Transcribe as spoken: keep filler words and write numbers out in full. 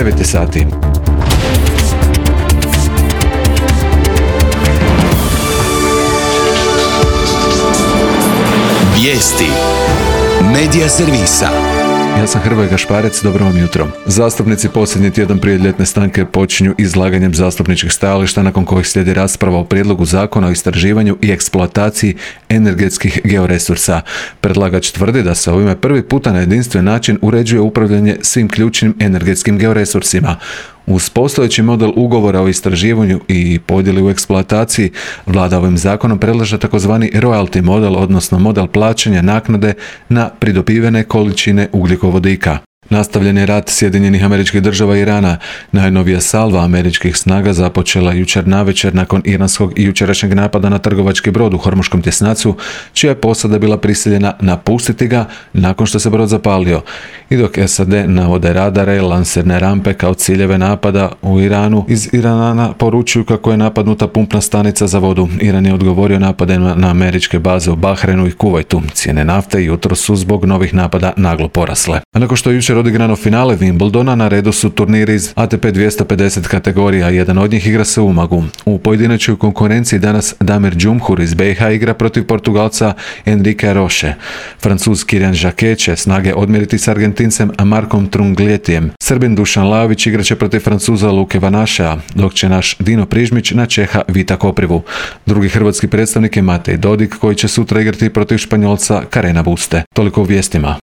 devet je sati. Vijesti Medija servisa. Ja sam Hrvoje Gašparec, dobro vam jutro. Zastupnici posljednji tjedan prije ljetne stanke počinju izlaganjem zastupničkih stajališta nakon kojih slijedi rasprava o prijedlogu zakona o istraživanju i eksploataciji energetskih georesursa. Predlagač tvrdi da se ovime prvi puta na jedinstven način uređuje upravljanje svim ključnim energetskim georesursima. Uz postojeći model ugovora o istraživanju i podjeli u eksploataciji, vlada ovim zakonom predlaže takozvani royalty model, odnosno model plaćanja naknade na pridobivene količine ugljikovodika. Nastavljen je rat Sjedinjenih Američkih Država i Irana. Najnovija salva američkih snaga započela jučer navečer nakon iranskog i jučerašnjeg napada na trgovački brod u Hormuškom tjesnacu, čija je posada bila prisiljena napustiti ga nakon što se brod zapalio. I dok S A D navode radare i lansirne rampe kao ciljeve napada u Iranu, iz Irana poručuju kako je napadnuta pumpna stanica za vodu. Iran je odgovorio napadima na američke baze u Bahrenu i Kuvajtu. Cijene nafte jutro su zbog novih napada naglo porasle. A nakon što je jučer odigrano finale Wimbledona, na redu su turniri iz A T P dvjesto pedeset kategorija, jedan od njih igra se u Umagu. U pojedinačnoj konkurenciji danas Damir Džumhur iz B iH igra protiv Portugalca Enrique Roche. Francuz Kirian Jacquet će snage odmjeriti s Argentincem Markom Trungljettijem. Srbin Dušan Lajović igraće protiv Francuza Luke Vanašea, dok će naš Dino Prižmić na Čeha Vita Koprivu. Drugi hrvatski predstavnik je Matej Dodik, koji će sutra igrati protiv Španjolca Karena Buste. Toliko u vijestima.